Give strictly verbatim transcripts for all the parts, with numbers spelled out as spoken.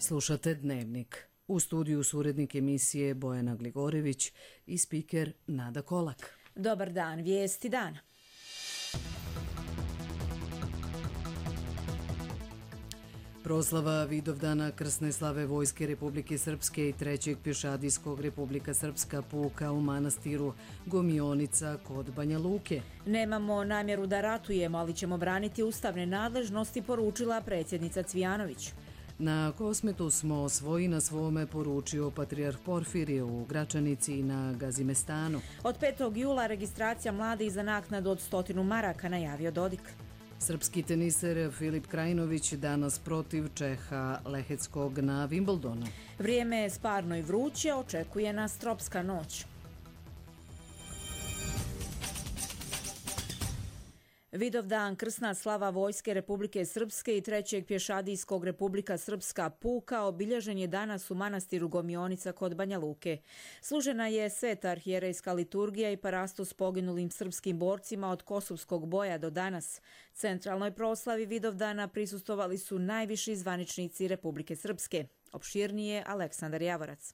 Slušate Dnevnik. U studiju su urednik emisije Bojana Gligorević i spiker Nada Kolak. Dobar dan, vijesti dana. Proslava Vidovdana krsne slave Vojske Republike Srpske i trećeg pješadijskog Republika Srpska puka u manastiru Gomionica kod Banja Luke. Nemamo namjeru da ratujemo, ali ćemo braniti ustavne nadležnosti, poručila predsjednica Cvijanović. Na Kosmetu smo svoji na svome, poručio patrijarh Porfirije u Gračanici i na Gazimestanu. Od petog jula registracija mladih za naknadu od stotinu maraka, najavio Dodik. Srpski teniser Filip Krajinović danas protiv Čeha Leheckog na Wimbledonu. Vrijeme je sparno i vruće, očekuje nas tropska noć. Vidovdan krsna slava Vojske Republike Srpske i trećeg pješadijskog Republika Srpska puka obilježen je danas u manastiru Gomionica kod Banja Luke. Služena je sveta arhijerejska liturgija i parastos poginulim srpskim borcima od Kosovskog boja do danas. Centralnoj proslavi Vidovdana prisustvovali su najviši zvaničnici Republike Srpske. Opširnije Aleksandar Javorac.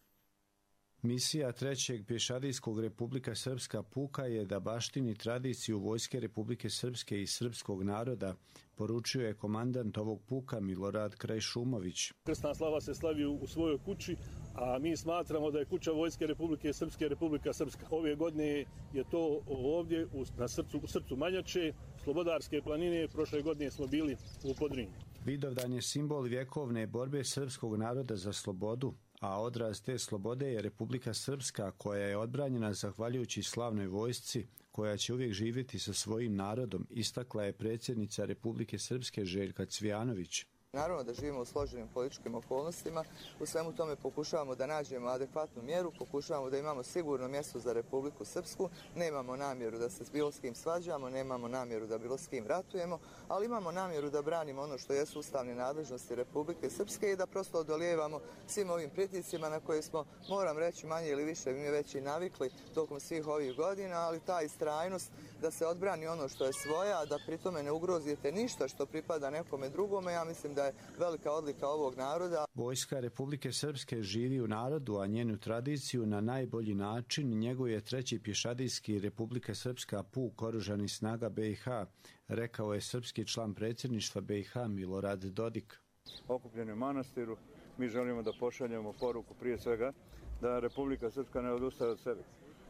Misija trećeg pješadijskog Republika Srpska puka je da baštini tradiciju Vojske Republike Srpske i srpskog naroda, poručio je komandant ovog puka Milorad Krajšumović. Krsna slava se slavi u svojoj kući, a mi smatramo da je kuća Vojske Republike Srpske Republika Srpska. Ove godine je to ovdje na srcu, u srcu Manjače, Slobodarske planine. Prošle godine smo bili u Podrinju. Vidovdan je simbol vjekovne borbe srpskog naroda za slobodu, a odraz te slobode je Republika Srpska, koja je odbranjena zahvaljujući slavnoj vojsci, koja će uvijek živjeti sa svojim narodom, istakla je predsjednica Republike Srpske Željka Cvijanović. Naravno da živimo u složenim političkim okolnostima, u svemu tome pokušavamo da nađemo adekvatnu mjeru, pokušavamo da imamo sigurno mjesto za Republiku Srpsku, nemamo namjeru da se s bilo s kim svađamo, nemamo namjeru da bilo s kim ratujemo, ali imamo namjeru da branimo ono što jesu ustavne nadležnosti Republike Srpske i da prosto odolijevamo svim ovim pritiscima na koje smo, moram reći, manje ili više mi već i navikli tokom svih ovih godina, ali ta istrajnost da se odbrani ono što je svoja, da pritome ne ugrozite ništa što pripada nekome drugome, ja mislim da je velika odlika ovog naroda. Vojska Republike Srpske živi u narodu, a njenu tradiciju na najbolji način njeguje treći pješadijski Republika Srpska puk oružanih snaga B i H, rekao je srpski član predsjedništva B i H Milorad Dodik. Okupljeni u manastiru, mi želimo da pošaljemo poruku prije svega da Republika Srpska ne odustaje od sebe,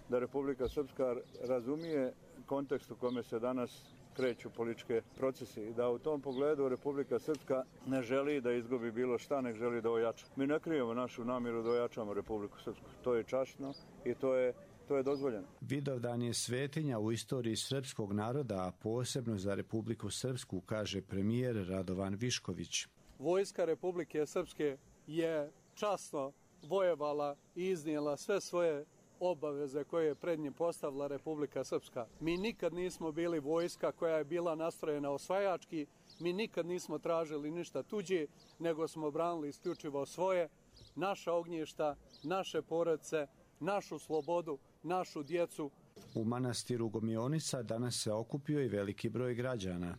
da Republika Srpska razumije kontekst u kome se danas kreću političke procesi i da u tom pogledu Republika Srpska ne želi da izgubi bilo šta, nek želi da ojača. Mi ne krijemo našu namjeru da ojačamo Republiku Srpsku. To je časno i to je, to je dozvoljeno. Vidovdan je svetinja u istoriji srpskog naroda, a posebno za Republiku Srpsku, kaže premijer Radovan Višković. Vojska Republike Srpske je časno vojevala i iznijela sve svoje obaveze koje je pred njim postavila Republika Srpska. Mi nikad nismo bili vojska koja je bila nastrojena osvajački, mi nikad nismo tražili ništa tuđe, nego smo branili isključivo svoje, naša ognjišta, naše porodice, našu slobodu, našu djecu. U manastiru Gomionica danas se okupio i veliki broj građana.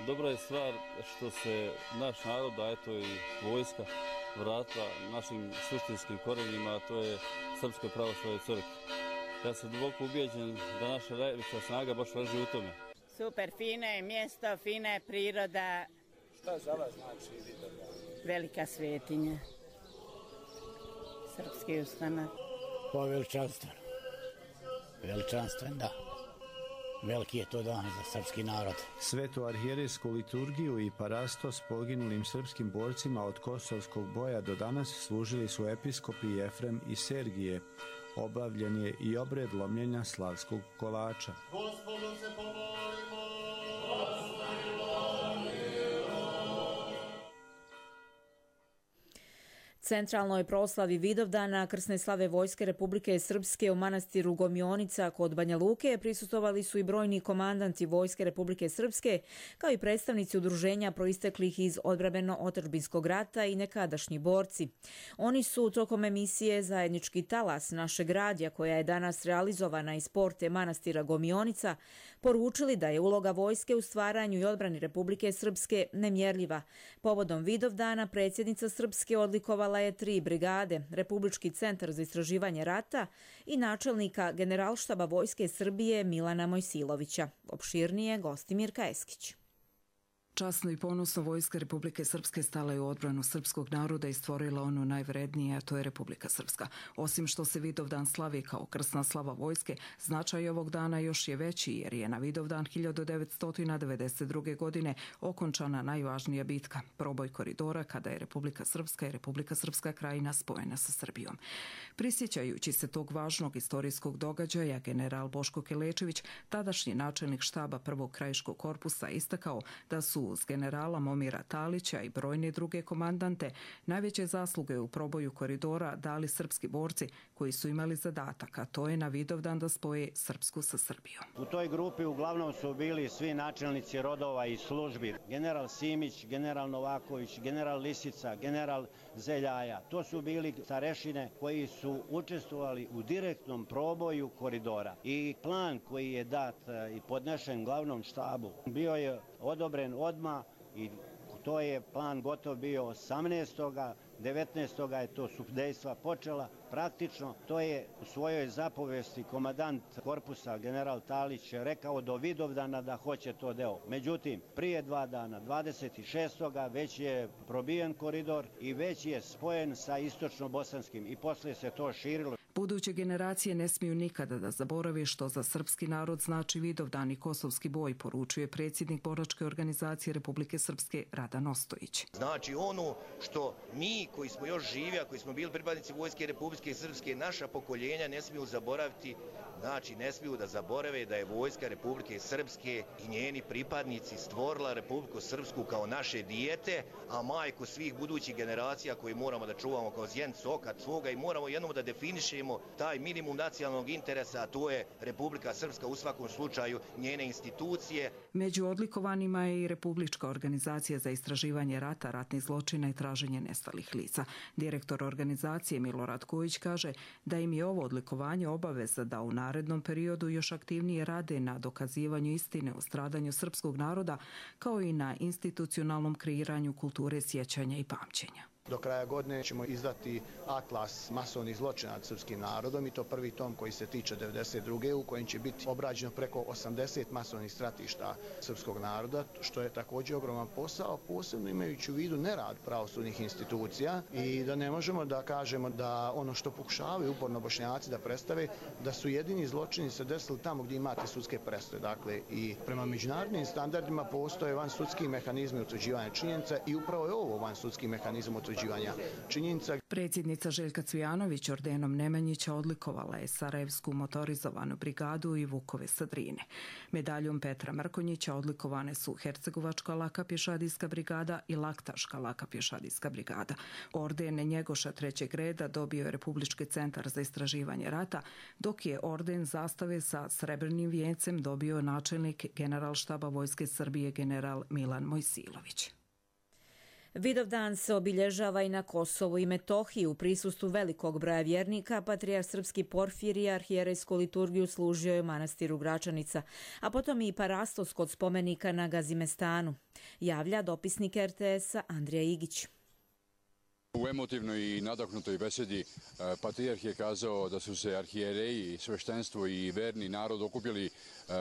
Dobra je stvar što se naš narod, a eto i vojska, vratila našim suštinskim korenima, a to je Srpskoj pravoslavnoj crkvi. Ja sam duboko ubijeđen da naša najveća snaga baš leži u tome. Super, fino je mjesto, fina je priroda. Šta za vas znači Vidovdan? Velika svetinja. Srpski ustanak. Pa veličanstven. Veličanstven, da. Veliki je to dan za srpski narod. Svetu arhijerejsku liturgiju i parastos poginulim srpskim borcima od Kosovskog boja do danas služili su episkopi Jefrem i Sergije. Obavljen je i obred lomljenja slavskog kolača. Gospodu se pomolimo! Centralnoj proslavi Vidovdana krsne slave Vojske Republike Srpske u manastiru Gomionica kod Banja Luke prisustvovali su i brojni komandanti Vojske Republike Srpske, kao i predstavnici udruženja proisteklih iz odbrambeno-otadžbinskog rata i nekadašnji borci. Oni su tokom emisije Zajednički talas našeg radija, koja je danas realizovana iz porte manastira Gomionica, poručili da je uloga vojske u stvaranju i odbrani Republike Srpske nemjerljiva. Povodom Vidovdana predsjednica Srpske odlikovala je tri brigade, Republički centar za istraživanje rata i načelnika Generalštaba Vojske Srbije Milana Mojsilovića. Opširnije Gostimir Kajeskić. Časno i ponosno Vojska Republike Srpske stala je u odbranu srpskog naroda i stvorila ono najvrednije, a to je Republika Srpska. Osim što se Vidovdan slavi kao krsna slava vojske, značaj ovog dana još je veći jer je na Vidovdan hiljadu devetsto devedeset druge. godine okončana najvažnija bitka, proboj koridora, kada je Republika Srpska i Republika Srpska krajina spojena sa Srbijom. Prisjećajući se tog važnog istorijskog događaja, general Boško Kelečević, tadašnji načelnik štaba prvog krajiškog korpusa, istakao da su uz generala Momira Talića i brojne druge komandante najveće zasluge u proboju koridora dali srpski borci koji su imali zadatak, a to je na Vidovdan da spoje Srpsku sa Srbijom. U toj grupi uglavnom su bili svi načelnici rodova i službi. General Simić, general Novaković, general Lisica, general Zeljaja. To su bili starešine koji su učestvovali u direktnom proboju koridora. I plan koji je dat i podnešen glavnom štabu bio je odobren odmah i to je plan gotov bio osamnaestog devetnaestog je to su dejstva počela. Praktično to je u svojoj zapovesti komandant korpusa general Talić rekao do Vidovdana da hoće to deo. Međutim, prije dva dana, dvadeset šestog već je probijen koridor i već je spojen sa istočno-bosanskim i posle se to širilo. Buduće generacije ne smiju nikada da zaborave što za srpski narod znači Vidovdan i kosovski boj, poručuje predsjednik boračke organizacije Republike Srpske Radan Ostojić. Znači ono što mi koji smo još živi, a koji smo bili pripadnici Vojske Republike Srpske, naša pokoljenja ne smiju zaboraviti, znači ne smiju da zaborave da je Vojska Republike Srpske i njeni pripadnici stvorila Republiku Srpsku kao naše dijete, a majku svih budućih generacija koji moramo da čuvamo kao zjenicu oka svoga i moramo jednom da definišemo taj minimum nacionalnog interesa, a to je Republika Srpska, u svakom slučaju njene institucije. Među odlikovanima je i Republička organizacija za istraživanje rata, ratnih zločina i traženje nestalih lica. Direktor organizacije Milorad Kojić kaže da im je ovo odlikovanje obaveza da u narednom periodu još aktivnije rade na dokazivanju istine o stradanju srpskog naroda, kao i na institucionalnom kreiranju kulture sjećanja i pamćenja. Do kraja godine ćemo izdati atlas masovnih zločina nad srpskim narodom i to prvi tom koji se tiče devedeset druge. u kojem će biti obrađeno preko osamdeset masovnih stratišta srpskog naroda, što je također ogroman posao, posebno imajući u vidu nerad pravosudnih institucija i da ne možemo da kažemo da ono što pokušavaju uporno Bošnjaci da predstave, da su jedini zločini se desili tamo gdje imate sudske presude. Dakle, i prema međunarodnim standardima postoje vansudski mehanizmi utvrđivanja činjenica i upravo je ovo vansudski mehanizam utvrđivanja činjenica. Predsjednica Željka Cvijanović ordenom Nemanjića odlikovala je Sarajevsku motorizovanu brigadu i Vukove sa Drine. Medaljom Petra Mrkonjića odlikovane su Hercegovačka laka pješadijska brigada i Laktaška laka pješadijska brigada. Orden Njegoša trećeg reda dobio je Republički centar za istraživanje rata, dok je orden zastave sa srebrnim vijencem dobio načelnik Generalštaba Vojske Srbije general Milan Mojsilović. Vidovdan se obilježava i na Kosovu i Metohiji u prisustvu velikog broja vjernika. Patrijarh srpski Porfirije arhijerejsku liturgiju služio je u manastiru Gračanica, a potom i parastos kod spomenika na Gazimestanu, javlja dopisnik er te esa Andrija Igić. U emotivnoj i nadahnutoj besedi patrijarh je kazao da su se arhijereji, sveštenstvo i verni narod okupili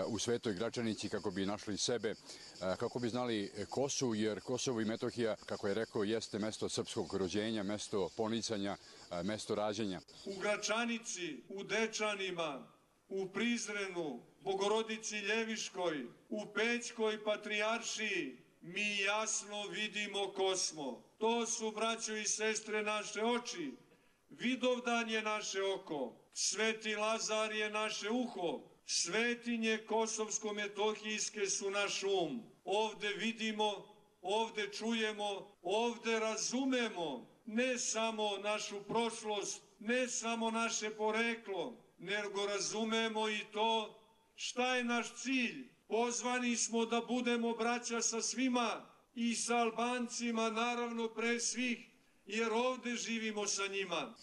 u Svetoj Gračanici kako bi našli sebe, kako bi znali ko su, jer Kosovo i Metohija, kako je rekao, jeste mesto srpskog rođenja, mesto ponicanja, mesto rađenja. U Gračanici, u Dečanima, u Prizrenu, Bogorodici Ljeviškoj, u Pećkoj patrijaršiji mi jasno vidimo ko smo. To su, braćo i sestre, naše oči. Vidovdan je naše oko. Sveti Lazar je naše uho. Svetinje kosovsko-metohijske su naš um. Ovde vidimo, ovde čujemo, ovde razumemo ne samo našu prošlost, ne samo naše poreklo, nego razumemo i to šta je naš cilj. Pozvani smo da budemo braća sa svima i sa Albancima, naravno pre svih, jer ovde živimo sa njima.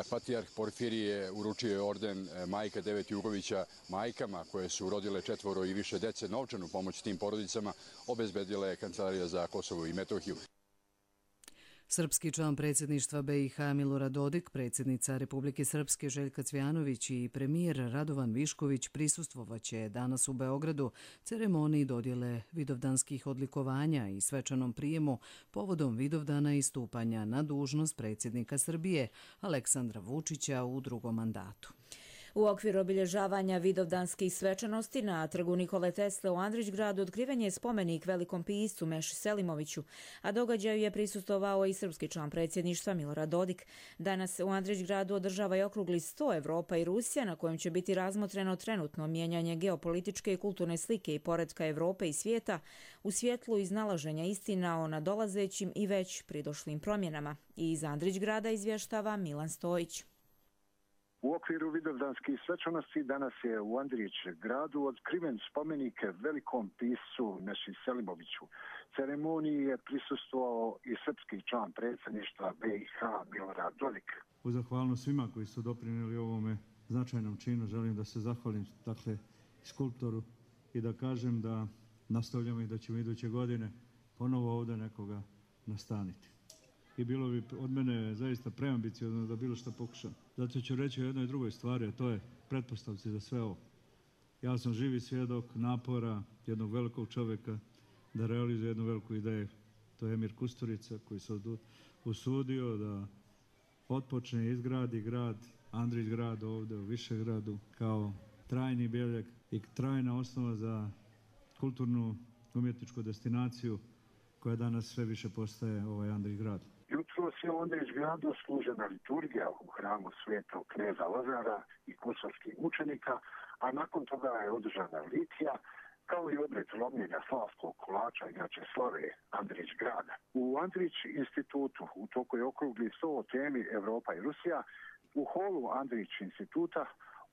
Patrijarh Porfirije uručio je orden Majka Devet Jugovića majkama koje su rodile četvoro i više dece. Novčanu pomoć tim porodicama obezbedila je Kancelarija za Kosovo i Metohiju. Srpski član predsjedništva B i H Milorad Dodik, predsjednica Republike Srpske Željka Cvjanović i premijer Radovan Višković prisustvovaće danas u Beogradu ceremoniji dodjele vidovdanskih odlikovanja i svečanom prijemu povodom Vidovdana i stupanja na dužnost predsjednika Srbije Aleksandra Vučića u drugom mandatu. U okviru obilježavanja vidovdanskih svečanosti na trgu Nikole Tesle u Andrićgradu otkriven je spomenik velikom piscu Meši Selimoviću, a događaju je prisustvovao i srpski član predsjedništva Milorad Dodik. Danas u Andrićgradu održava i okrugli sto Evropa i Rusija na kojem će biti razmotreno trenutno mijenjanje geopolitičke i kulturne slike i poretka Evrope i svijeta u svjetlu iznalaženja istina o nadolazećim i već pridošlim promjenama. I iz Andrićgrada izvještava Milan Stojić. U okviru vidovdanskih svečanosti danas je u Andrić gradu otkriven spomenik velikom piscu Meši Selimoviću. Ceremoniji je prisustvovao i srpski član predsjedništva B i H Milorad Dodik. U zahvalnost svima koji su doprinijeli ovome značajnom činu želim da se zahvalim dakle skulptoru i da kažem da nastavljamo i da ćemo iduće godine ponovo ovdje nekoga nastaniti. I bilo bi od mene zaista preambiciozno da bilo što pokušam. Zato ću reći o jednoj drugoj stvari, a to je pretpostavci za sve ovo. Ja sam živi svjedok napora jednog velikog čovjeka da realizuje jednu veliku ideju. To je Emir Kusturica koji se usudio da otpočne i izgradi grad, Andrićgrad ovdje u Višegradu kao trajni bijeljak i trajna osnova za kulturnu umjetničku destinaciju koja danas sve više postaje ovaj Andrićgrad. Jutros je u Andrićgradu služena liturgija u hramu svetog kneza Lazara i kosovskih učenika, a nakon toga je održana litija, kao i obred lomljenja slavskog kolača inače slave Andrićgrada. U Andrić institutu u toku je okrugli sto o temi Evropa i Rusija. U holu Andrić instituta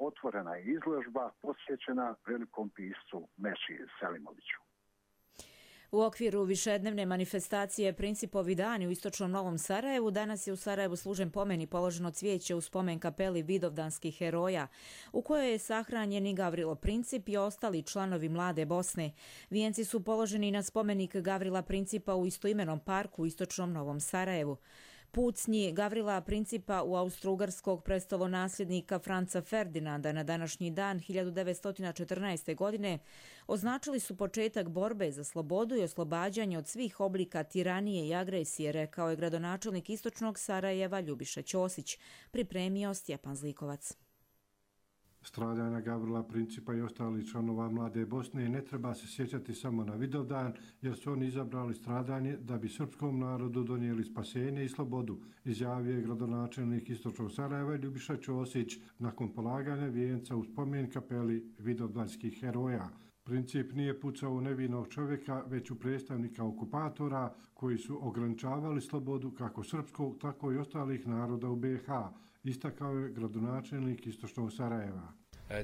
otvorena je izložba posvećena velikom piscu Meši Selimoviću. U okviru višednevne manifestacije Principovi dani u istočnom Novom Sarajevu danas je u Sarajevu služen pomen i položeno cvijeće u spomen kapeli vidovdanskih heroja, u kojoj je sahranjen i Gavrilo Princip i ostali članovi Mlade Bosne. Vijenci su položeni na spomenik Gavrila Principa u istoimenom parku u istočnom Novom Sarajevu. Pucnji Gavrila Principa u austrougarskog prestolonasljednika Franca Ferdinanda na današnji dan hiljadu devetsto četrnaeste. godine označili su početak borbe za slobodu i oslobađanje od svih oblika tiranije i agresije, rekao je gradonačelnik istočnog Sarajeva Ljubiša Ćosić, pripremio Stjepan Zlikovac. Stradanja Gavrila Principa i ostalih članova Mlade Bosne ne treba se sjećati samo na Vidovdan, jer su oni izabrali stradanje da bi srpskom narodu donijeli spasenje i slobodu, izjavio je gradonačelnik istočnog Sarajeva Ljubiša Ćosić nakon polaganja vijenca u spomen kapeli vidovdanskih heroja. Princip nije pucao u nevinog čovjeka, već u predstavnika okupatora koji su ograničavali slobodu kako srpskog, tako i ostalih naroda u B i H, istakao je gradonačelnik istočnog Sarajeva.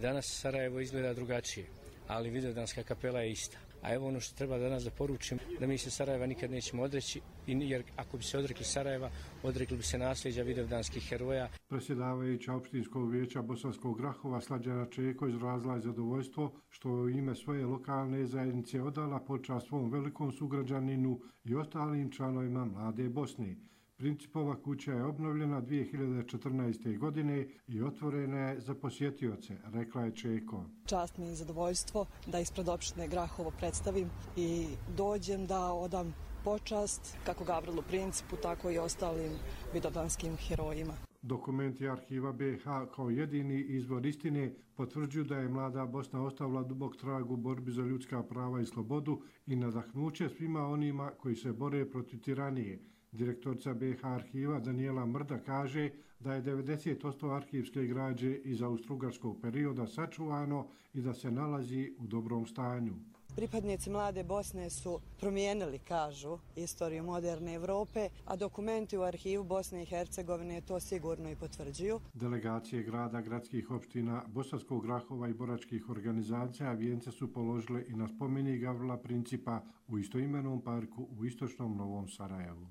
Danas Sarajevo izgleda drugačije, ali vidovdanska kapela je ista. A evo ono što treba danas da poručim, da mi se Sarajeva nikad nećemo odreći, jer ako bi se odrekli Sarajeva, odrekli bi se nasljeđa vidovdanskih heroja. Predsjedavajuća opštinskog vijeća Bosanskog Grahova Slađana Čeko izrazila je zadovoljstvo što je u ime svoje lokalne zajednice odala počast svom velikom sugrađaninu i ostalim članovima Mlade Bosne. Principova kuća je obnovljena dvije hiljade četrnaeste. godine i otvorena je za posjetioce, rekla je Čeko. Čast mi je zadovoljstvo da ispred opštine Grahovo predstavim i dođem da odam počast kako Gavrilu Principu, tako i ostalim vidovdanskim herojima. Dokumenti arhiva B i H kao jedini izvor istine potvrđuju da je Mlada Bosna ostavila dubok trag u borbi za ljudska prava i slobodu i nadahnuće svima onima koji se bore protiv tiranije. Direktorica B i H arhiva Danijela Mrda kaže da je devedeset posto arhivske građe iz austrougarskog perioda sačuvano i da se nalazi u dobrom stanju. Pripadnici Mlade Bosne su promijenili, kažu, istoriju moderne Evrope, a dokumenti u arhivu Bosne i Hercegovine to sigurno i potvrđuju. Delegacije grada, gradskih opština, Bosanskog Grahova i boračkih organizacija vijence su položile i na spomenik Gavrila Principa u istoimenom parku u istočnom Novom Sarajevu.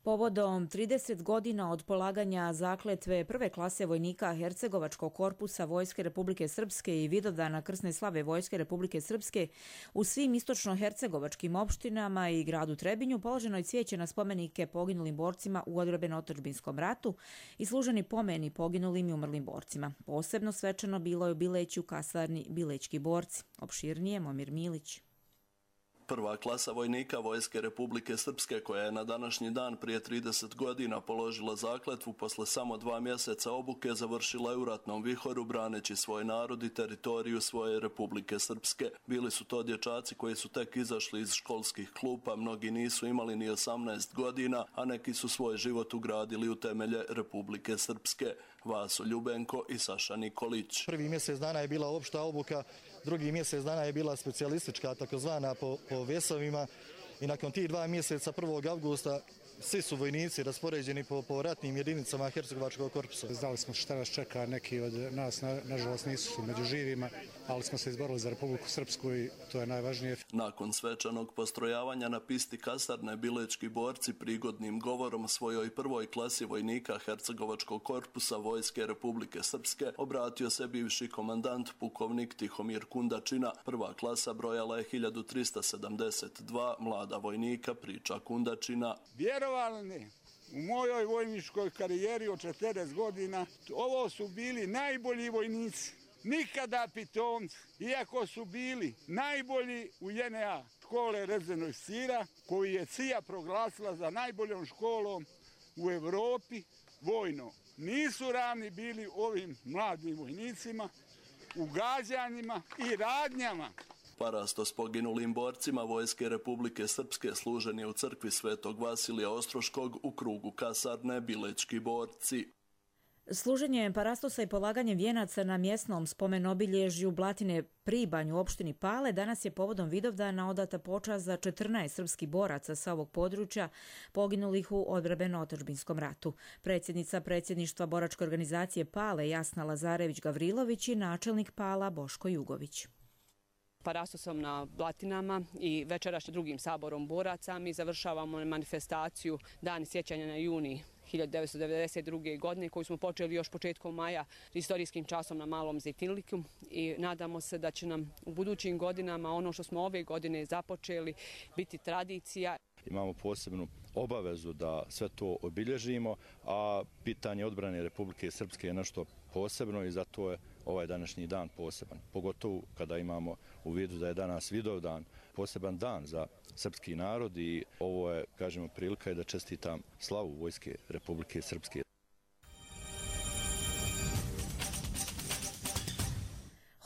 Povodom trideset godina od polaganja zakletve prve klase vojnika Hercegovačkog korpusa Vojske Republike Srpske i Vidovdana krsne slave Vojske Republike Srpske u svim istočno-hercegovačkim opštinama i gradu Trebinju položeno je cvijeće na spomenike poginulim borcima u odbrambeno-otadžbinskom ratu i služeni pomeni poginulim i umrlim borcima. Posebno svečano bilo je u Bileću kasarni Bilećki borci. Opširnije Momir Milić. Prva klasa vojnika Vojske Republike Srpske, koja je na današnji dan prije trideset godina položila zakletvu posle samo dva mjeseca obuke, završila je u ratnom vihoru braneći svoj narod i teritoriju svoje Republike Srpske. Bili su to dječaci koji su tek izašli iz školskih klupa, mnogi nisu imali ni osamnaest godina, a neki su svoj život ugradili u temelje Republike Srpske. Vaso Ljubenko i Saša Nikolić. Prvi mjesec dana je bila opšta obuka, drugi mjesec dana je bila specijalistička, takozvana po, po vesovima, i nakon tih dva mjeseca prvog avgusta svi su vojnici raspoređeni po, po ratnim jedinicama Hercegovačkog korpusa. Znali smo šta nas čeka, neki od nas na, nažalost nisu među živima, ali smo se izborili za Republiku Srpsku i to je najvažnije. Nakon svečanog postrojavanja na pisti kasarne Bilečki borci prigodnim govorom svojoj prvoj klasi vojnika Hercegovačkog korpusa Vojske Republike Srpske obratio se bivši komandant pukovnik Tihomir Kundačina. Prva klasa brojala je hiljadu trista sedamdeset dva mlada vojnika, priča Kundačina. Vjerovalni, u mojoj vojničkoj karijeri od četrdeset godina, ovo su bili najbolji vojnici. Nikada pitomci, iako su bili najbolji u J N A škole Rezervnog Sira, koju je C I A proglasila za najboljom školom u Evropi vojno. Nisu ravni bili ovim mladim vojnicima u gađanjima i radnjama. Parasto s poginulim borcima Vojske Republike Srpske služen je u crkvi Svetog Vasilija Ostroškog u krugu kasarne Bilečki borci. Služenje parastosa i polaganje vijenaca na mjesnom spomenobilježju Blatine Pribanj u opštini Pale danas je povodom Vidovdana odata počast za četrnaest srpskih boraca sa ovog područja poginulih u odbrambeno-otadžbinskom ratu. Predsjednica predsjedništva boračke organizacije Pale Jasna Lazarević-Gavrilović i načelnik Pala Boško Jugović. Parastosom na Blatinama i večerašnjim drugim saborom boraca mi završavamo manifestaciju Dani sjećanja na juni hiljadu devetsto devedeset druge. godine koju smo počeli još početkom maja istorijskim časom na Malom Zejtinliku i nadamo se da će nam u budućim godinama ono što smo ove godine započeli biti tradicija. Imamo posebnu obavezu da sve to obilježimo, a pitanje odbrane Republike Srpske je nešto posebno i zato je ovaj današnji dan poseban. Pogotovo kada imamo u vidu da je danas Vidovdan, poseban dan za srpski narod i ovo je, kažemo, prilika je da čestitam slavu Vojske Republike Srpske.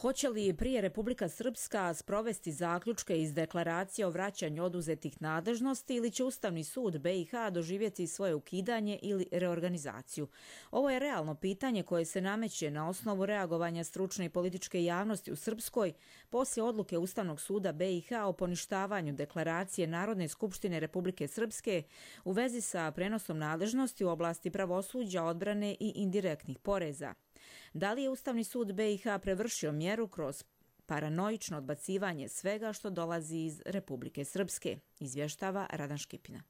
Hoće li prije Republika Srpska sprovesti zaključke iz deklaracije o vraćanju oduzetih nadležnosti ili će Ustavni sud B i H doživjeti svoje ukidanje ili reorganizaciju? Ovo je realno pitanje koje se nameće na osnovu reagovanja stručne i političke javnosti u Srpskoj poslije odluke Ustavnog suda B i H o poništavanju deklaracije Narodne skupštine Republike Srpske u vezi sa prenosom nadležnosti u oblasti pravosuđa, odbrane i indirektnih poreza. Da li je Ustavni sud B i H prevršio mjeru kroz paranoično odbacivanje svega što dolazi iz Republike Srpske, izvještava Radan Škipina.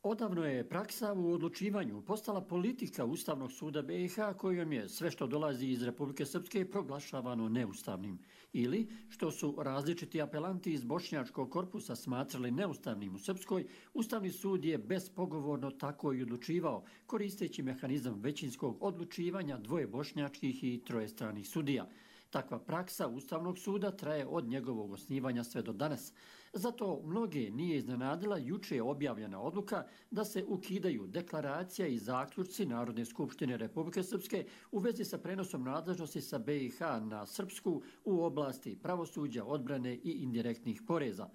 Odavno je praksa u odlučivanju postala politika Ustavnog suda B i H kojom je sve što dolazi iz Republike Srpske proglašavano neustavnim ili, što su različiti apelanti iz bošnjačkog korpusa smatrali neustavnim u Srpskoj, Ustavni sud je bespogovorno tako i odlučivao, koristeći mehanizam većinskog odlučivanja dvoje bošnjačkih i troje stranih sudija. Takva praksa Ustavnog suda traje od njegovog osnivanja sve do danas. Zato mnoge nije iznenadila juče objavljena odluka da se ukidaju deklaracija i zaključci Narodne skupštine Republike Srpske u vezi sa prenosom nadležnosti sa B i H na Srpsku u oblasti pravosuđa, odbrane i indirektnih poreza.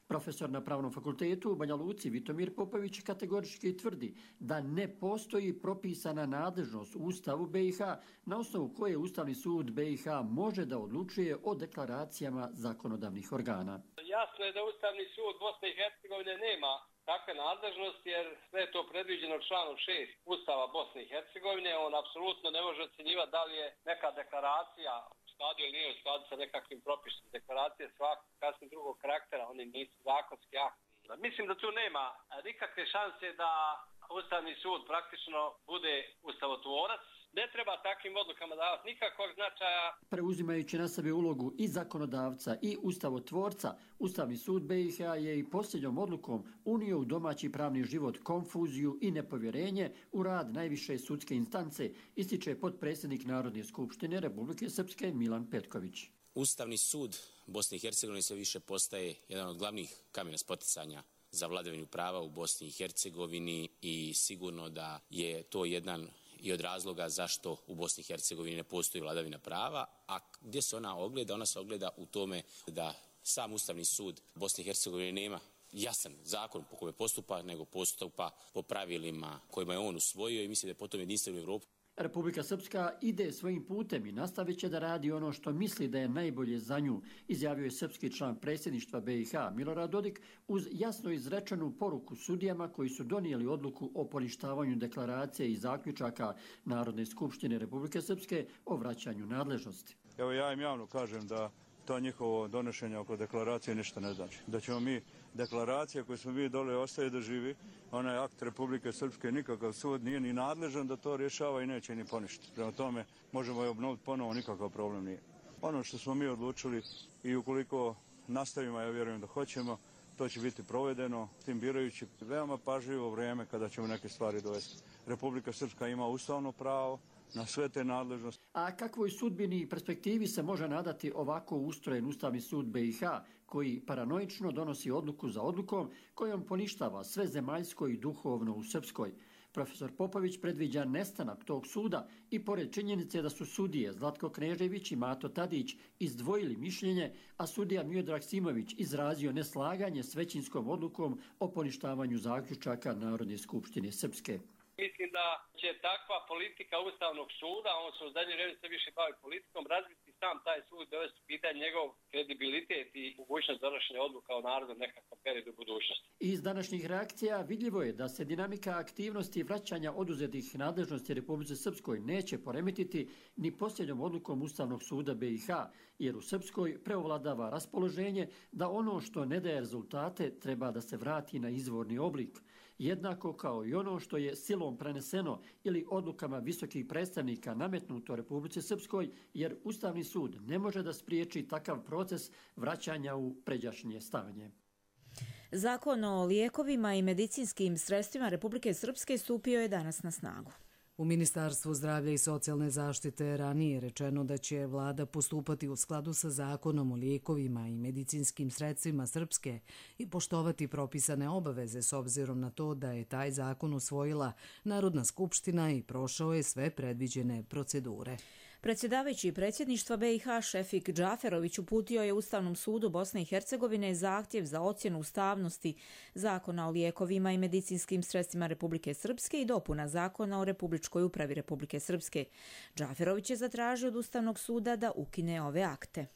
Profesor na Pravnom fakultetu u Banja Luci Vitomir Popović kategorički tvrdi da ne postoji propisana nadležnost u Ustavu B i H na osnovu koje Ustavni sud B i H može da odlučuje o deklaracijama zakonodavnih organa. Jasno je da Ustavni sud Bosne i Hercegovine nema takve nadležnosti jer sve je to predviđeno članom šest Ustava Bosne i Hercegovine. On apsolutno ne može ocjenjivati da li je neka deklaracija u skladu ili nije u skladu sa nekakvim propisom. Deklaracije svakog kasnije drugog karaktera, oni nisu zakonski akti. Mislim da tu nema nikakve šanse da Ustavni sud praktično bude ustavotvorac. Ne treba takvim odlukama davati nikakvog značaja. Preuzimajući na sebe ulogu i zakonodavca i ustavotvorca, Ustavni sud B i H je i posljednjom odlukom unio u domaći pravni život konfuziju i nepovjerenje u rad najviše sudske instance, ističe potpredsjednik Narodne skupštine Republike Srpske Milan Petković. Ustavni sud Bosne i Hercegovine sve više postaje jedan od glavnih kamena spoticanja za vladavinu prava u Bosni i Hercegovini i sigurno da je to jedan i od razloga zašto u Bosni i Hercegovini ne postoji vladavina prava, a gdje se ona ogleda? Ona se ogleda u tome da sam Ustavni sud Bosne i Hercegovine nema jasan zakon po kome postupa, nego postupa po pravilima kojima je on usvojio i mislim da je potom jedinstven u Evropu. Republika Srpska ide svojim putem i nastavit će da radi ono što misli da je najbolje za nju, izjavio je srpski član predsjedništva B i H Milorad Dodik uz jasno izrečenu poruku sudijama koji su donijeli odluku o poništavanju deklaracije i zaključaka Narodne skupštine Republike Srpske o vraćanju nadležnosti. Evo ja im javno kažem da to njihovo donošenje oko deklaracije ništa ne znači. Da ćemo mi deklaracija koju smo mi dole ostaje da živi, ona je akt Republike Srpske, nikakav sud nije ni nadležan da to rješava i neće ni poništiti. Prema tome možemo je obnoviti ponovo, nikakav problem nije. Ono što smo mi odlučili i ukoliko nastavimo, ja vjerujem da hoćemo, to će biti provedeno, tim birajući veoma pažljivo vrijeme kada ćemo neke stvari dovesti. Republika Srpska ima ustavno pravo na sve te nadležnosti. A kakvoj sudbini i perspektivi se može nadati ovako ustrojen Ustavni sud B i H, koji paranoično donosi odluku za odlukom, kojom poništava sve zemaljsko i duhovno u Srpskoj? Profesor Popović predviđa nestanak tog suda i pored činjenice da su sudije Zlatko Knežević i Mato Tadić izdvojili mišljenje, a sudija Miodrag Simović izrazio neslaganje s većinskom odlukom o poništavanju zaključaka Narodne skupštine Srpske. Mislim da će takva politika Ustavnog suda, on se u zadnje vrijeme sve više bavi politikom, razviti sam taj sud, dovesti u pitanje njegov kredibilitet i mogućnost donošenja odluka o narodu nekakvom periodu budućnosti. Iz današnjih reakcija vidljivo je da se dinamika aktivnosti vraćanja oduzetih nadležnosti Republike Srpskoj neće poremetiti ni posljednjom odlukom Ustavnog suda B i H, jer u Srpskoj preovladava raspoloženje da ono što ne daje rezultate treba da se vrati na izvorni oblik. Jednako kao i ono što je silom preneseno ili odlukama visokih predstavnika nametnuto Republici Srpskoj, jer Ustavni sud ne može da spriječi takav proces vraćanja u pređašnje stanje. Zakon o lijekovima i medicinskim sredstvima Republike Srpske stupio je danas na snagu. U Ministarstvu zdravlja i socijalne zaštite ranije je rečeno da će vlada postupati u skladu sa zakonom o lijekovima i medicinskim sredstvima Srpske i poštovati propisane obaveze s obzirom na to da je taj zakon usvojila Narodna skupština i prošao je sve predviđene procedure. Predsjedavajući predsjedništva B i H Šefik Džaferović uputio je Ustavnom sudu Bosne i Hercegovine zahtjev za ocjenu ustavnosti Zakona o lijekovima i medicinskim sredstvima Republike Srpske i dopuna Zakona o Republičkoj upravi Republike Srpske. Džaferović je zatražio od Ustavnog suda da ukine ove akte.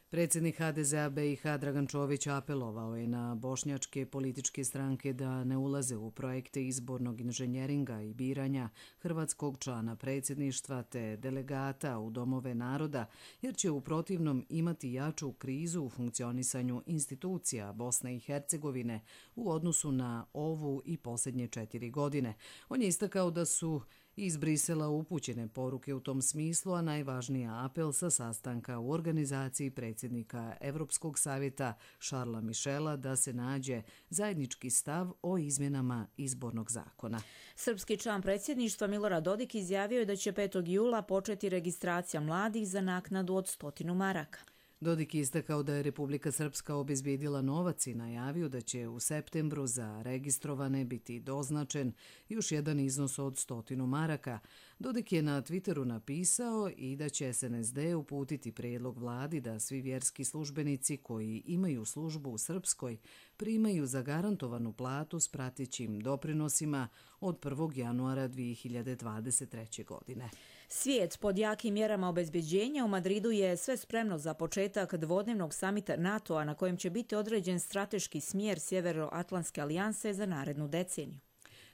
Predsjednik H D Z A B i H Dragan Čović apelovao je na bošnjačke političke stranke da ne ulaze u projekte izbornog inženjeringa i biranja hrvatskog člana predsjedništva te delegata u domove naroda, jer će u protivnom imati jaču krizu u funkcionisanju institucija Bosne i Hercegovine u odnosu na ovu i posljednje četiri godine. On je istakao da su iz Brisela upućene poruke u tom smislu, a najvažniji apel sa sastanka u organizaciji predsjednika Evropskog savjeta Šarla Mišela da se nađe zajednički stav o izmjenama izbornog zakona. Srpski član predsjedništva Milorad Dodik izjavio je da će petog jula početi registracija mladih za naknadu od stotinu maraka. Dodik je istakao da je Republika Srpska obezbijedila novac i najavio da će u septembru za registrovane biti doznačen još jedan iznos od stotinu maraka. Dodik je na Twitteru napisao i da će S N S D uputiti prijedlog vladi da svi vjerski službenici koji imaju službu u Srpskoj primaju zagarantovanu platu s pratećim doprinosima od prvog januara dvije hiljade dvadeset treće. godine. Svijet pod jakim mjerama obezbeđenja u Madridu je sve spremno za početak dvodnevnog samita NATO-a na kojem će biti određen strateški smjer Sjevernoatlantske alijanse za narednu deceniju.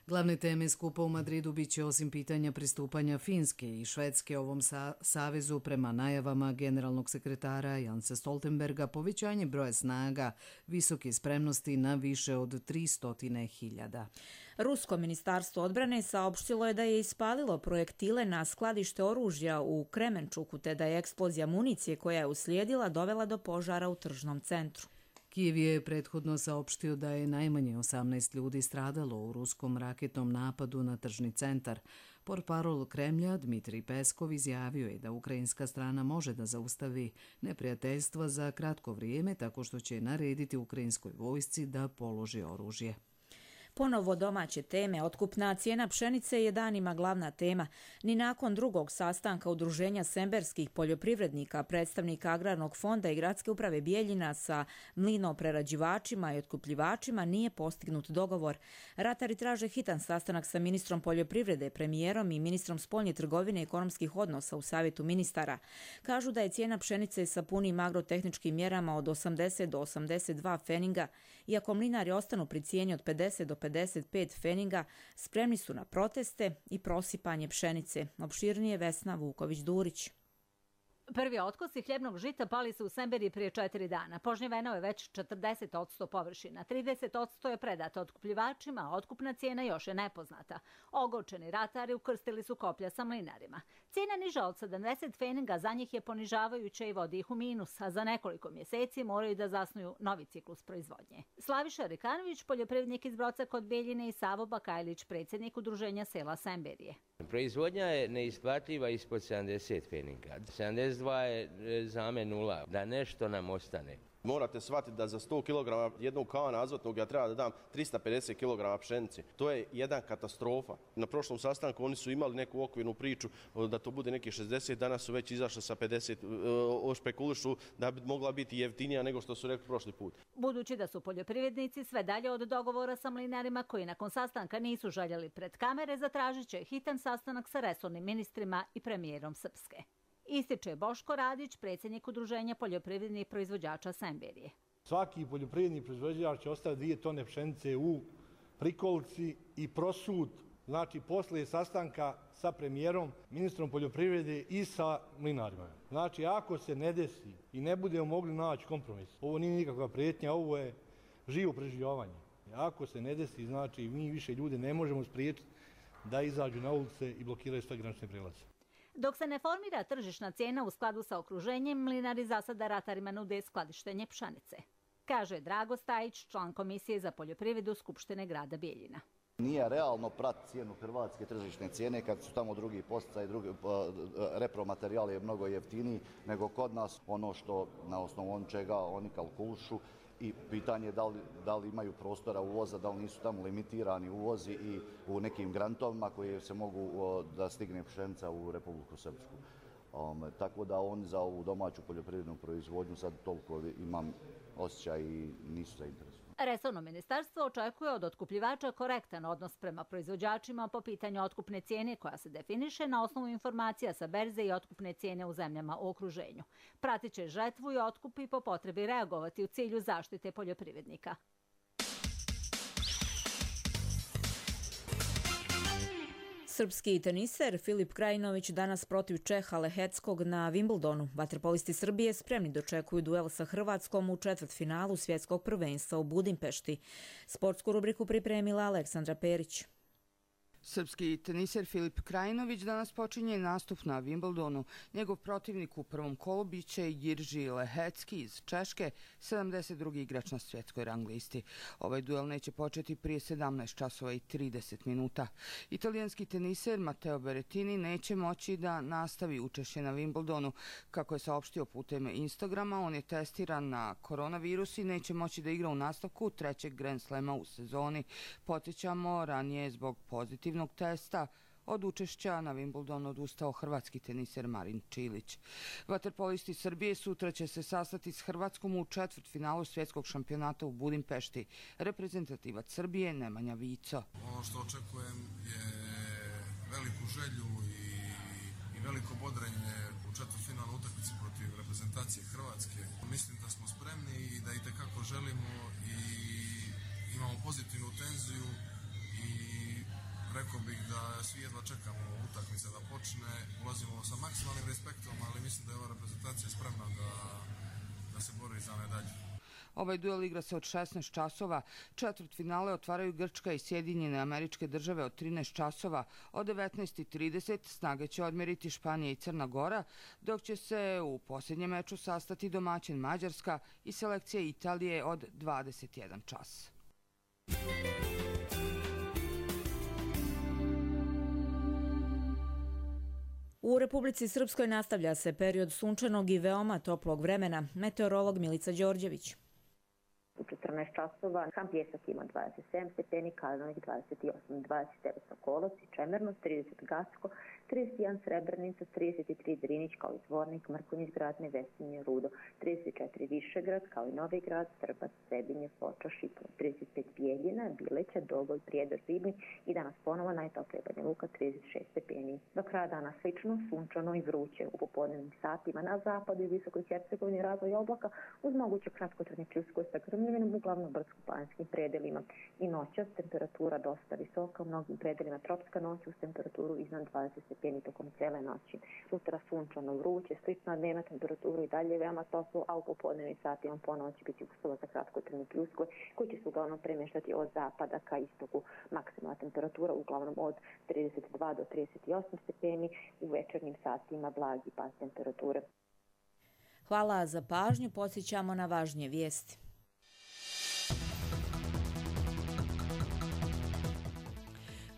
Glavne teme skupa u Madridu bit će osim pitanja pristupanja Finske i Švedske ovom sa savezu prema najavama generalnog sekretara Jansa Stoltenberga povećanje broja snaga visoke spremnosti na više od tristo hiljada. Rusko ministarstvo odbrane saopštilo je da je ispalilo projektile na skladište oružja u Kremenčuku te da je eksplozija municije koja je uslijedila dovela do požara u tržnom centru. Kijev je prethodno saopštio da je najmanje osamnaest ljudi stradalo u ruskom raketnom napadu na tržni centar. Portparol Kremlja Dmitrij Peskov izjavio je da ukrajinska strana može da zaustavi neprijateljstva za kratko vrijeme tako što će narediti ukrajinskoj vojsci da položi oružje. Ponovo domaće teme. Otkupna cijena pšenice je danima glavna tema. Ni nakon drugog sastanka Udruženja semberskih poljoprivrednika, predstavnika Agrarnog fonda i Gradske uprave Bijeljina sa mlinoprerađivačima i otkupljivačima nije postignut dogovor. Ratari traže hitan sastanak sa ministrom poljoprivrede, premijerom i ministrom spoljne trgovine i ekonomskih odnosa u savjetu ministara. Kažu da je cijena pšenice sa punim agrotehničkim mjerama od osamdeset do osamdeset dva feninga, iako mlinari ostanu pri cijeni od pedeset do pedeset pet feninga, spremni su na proteste i prosipanje pšenice. Opširnije Vesna Vuković-Durić. Prvi otkosi hljebnog žita pali su u Semberiji prije četiri dana. Požnjeveno je već četrdeset posto površina. trideset posto je predato otkupljivačima, a otkupna cijena još je nepoznata. Ogorčeni ratari ukrstili su koplja sa mlinarima. Cijena niža od sedamdeset feninga za njih je ponižavajuća i vodi ih u minus, a za nekoliko mjeseci moraju da zasnuju novi ciklus proizvodnje. Slaviša Rikanović, poljoprivrednik iz Broca kod Bijeljine, i Savo Bakajlić, predsjednik Udruženja sela Semberije. Proizvodnja je neisplativa ispod sedamdeset feninga. sedamdeset dva je za me nula, da nešto nam ostane. Morate shvatiti da za sto kilograma jednog kana azotnog ja treba da dam trista pedeset kilograma pšenice. To je jedan katastrofa. Na prošlom sastanku oni su imali neku okvirnu priču da to bude neki šezdeset, danas su već izašli sa pedeset, špekulišu da bi mogla biti jeftinija nego što su rekli prošli put. Budući da su poljoprivrednici sve dalje od dogovora sa mlinarima koji nakon sastanka nisu željeli pred kamere, zatražit će hitan sastanak sa resornim ministrima i premijerom Srpske. Ističe Boško Radić, predsjednik Udruženja poljoprivrednih proizvođača Semberije. Svaki poljoprivredni proizvođač će ostaviti dvije tone pšenice u prikolici i prosud, znači posle sastanka sa premijerom, ministrom poljoprivrede i sa mlinarima. Znači ako se ne desi i ne budemo mogli naći kompromis, ovo nije nikakva prijetnja, ovo je živo preživljavanje. Ako se ne desi, znači mi više ljude ne možemo spriječiti da izađu na ulice i blokiraju sve granične prijelaze. Dok se ne formira tržišna cijena u skladu sa okruženjem, mlinari za sada ratarima nude skladištenje pšenice, kaže Drago Stajić, član Komisije za poljoprivredu Skupštine grada Bijeljina. Nije realno pratiti cijenu hrvatske tržišne cijene kad su tamo drugi posticaji, drugi repromaterijal je mnogo jeftiniji nego kod nas. Ono što na osnovu čega oni kalkulišu i pitanje je da li, da li imaju prostora uvoza, da li nisu tamo limitirani uvozi i u nekim grantovima koji se mogu o, da stigne pšenica u Republiku Srpsku. Um, tako da oni za ovu domaću poljoprivrednu proizvodnju sad toliko imam osjećaj i nisu zainteresovani. Resorno ministarstvo očekuje od otkupljivača korektan odnos prema proizvođačima po pitanju otkupne cijene koja se definiše na osnovu informacija sa berze i otkupne cijene u zemljama u okruženju. Pratit će žetvu i otkup i po potrebi reagovati u cilju zaštite poljoprivrednika. Srpski teniser Filip Krajinović danas protiv Čeha Leheckog na Wimbledonu. Vaterpolisti Srbije spremni dočekuju duel sa Hrvatskom u četvrtfinalu svjetskog prvenstva u Budimpešti. Sportsku rubriku pripremila Aleksandra Perić. Srpski teniser Filip Krajinović danas počinje nastup na Wimbledonu. Njegov protivnik u prvom kolu biće Jirži Lehecki iz Češke, sedamdeset drugi igrač na svjetskoj rang listi. Ovaj duel neće početi prije sedamnaest časova i trideset minuta. Italijanski teniser Matteo Berrettini neće moći da nastavi učešće na Wimbledonu. Kako je saopštio putem Instagrama, on je testiran na koronavirus i neće moći da igra u nastavku trećeg Grand Slema u sezoni. Podsjećamo, ranije zbog pozitivnog testa od učešća na Wimbledonu odustao hrvatski teniser Marin Čilić. Vaterpolisti Srbije sutra će se sastati s Hrvatskom u četvrtfinalu svjetskog šampionata u Budimpešti. Reprezentativac Srbije Nemanja Vico. Ono što očekujem je veliku želju i, i veliko bodrenje u četvrtfinalnoj utakmici protiv reprezentacije Hrvatske. Mislim da smo spremni i da itekako želimo i imamo pozitivnu tenziju i rekao bih da svi jedva čekamo utakmice da počne. Ulazimo sa maksimalnim respektom, ali mislim da je ova reprezentacija spremna da, da se bori za medalju. Ovaj duel igra se od šesnaest časova. Četvrtfinale otvaraju Grčka i Sjedinjene Američke Države od trinaest časova. Od devetnaest i trideset snage će odmjeriti Španija i Crna Gora, dok će se u posljednjem meču sastati domaćin Mađarska i selekcija Italije od dvadeset jedan čas. U Republici Srpskoj nastavlja se period sunčanog i veoma toplog vremena. Meteorolog Milica Đorđević. U četrnaest časova Ham Pjesak ima dvadeset sedam stepeni, Kalinović dvadeset osam, dvadeset devet Sokolac i Čemerno, trideset Gacko, trideset jedan Srebrenica, trideset tri Drinić kao i Zvornik, Mrkonjić, Gradne, Vesinje, Rudo, trideset četiri Višegrad kao i Novi Grad, Trbac, Sebinje, Foča, Šipno, trideset pet Bijeljina, Bileća, Dogoj, Prijedor, Ribnik i danas ponovo najtoplije Banja Luka trideset šest stepeni. Do kraja dana slično, sunčano i vruće u popodnevnim satima na zapadu i visokoj Hercegovini razvoj oblaka uz moguće kratkotrajne pljuskove sa grmljavinom uglavnom brdsko-planinskim predelima. I noćas temperatura dosta visoka, u mnogim predelima tropska noć uz temperaturu iznad dvadeset stepeni tokom cele noći. Sutra sunčano vruće, slična dnevna temperatura i dalje veoma toplo, a u popodnevnim satima ponovo će biti uslova za kratkotrajne pljuskove koji će se uglavnom premještati od zapada ka istoku. Maksimalna temperatura uglavnom od trideset dva do trideset osam stepeni, u večernjim satima blagi pad temperature. Hvala za pažnju, podsjećamo na važnije vijesti.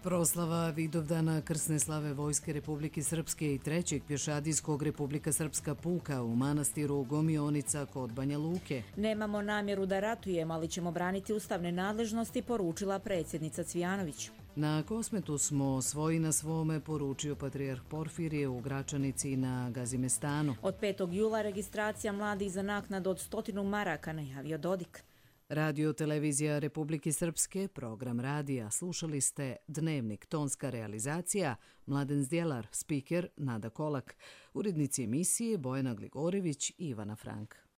Proslava Vidovdana krsne slave Vojske Republike Srpske i trećeg pješadijskog Republika Srpska puka u manastiru Gomionica kod Banja Luke. Nemamo namjeru da ratujemo, ali ćemo braniti ustavne nadležnosti, poručila predsjednica Cvijanović. Na Kosmetu smo svoji na svome, poručio patrijarh Porfirije u Gračanici na Gazimestanu. Od petog jula registracija mladih za naknadu od stotinu maraka, najavio Dodik. Radio Televizija Republike Srpske, program radija. Slušali ste Dnevnik, tonska realizacija, Mladen Zdjelar, spiker Nada Kolak, urednici emisije Bojana Gligorević i Ivana Frank.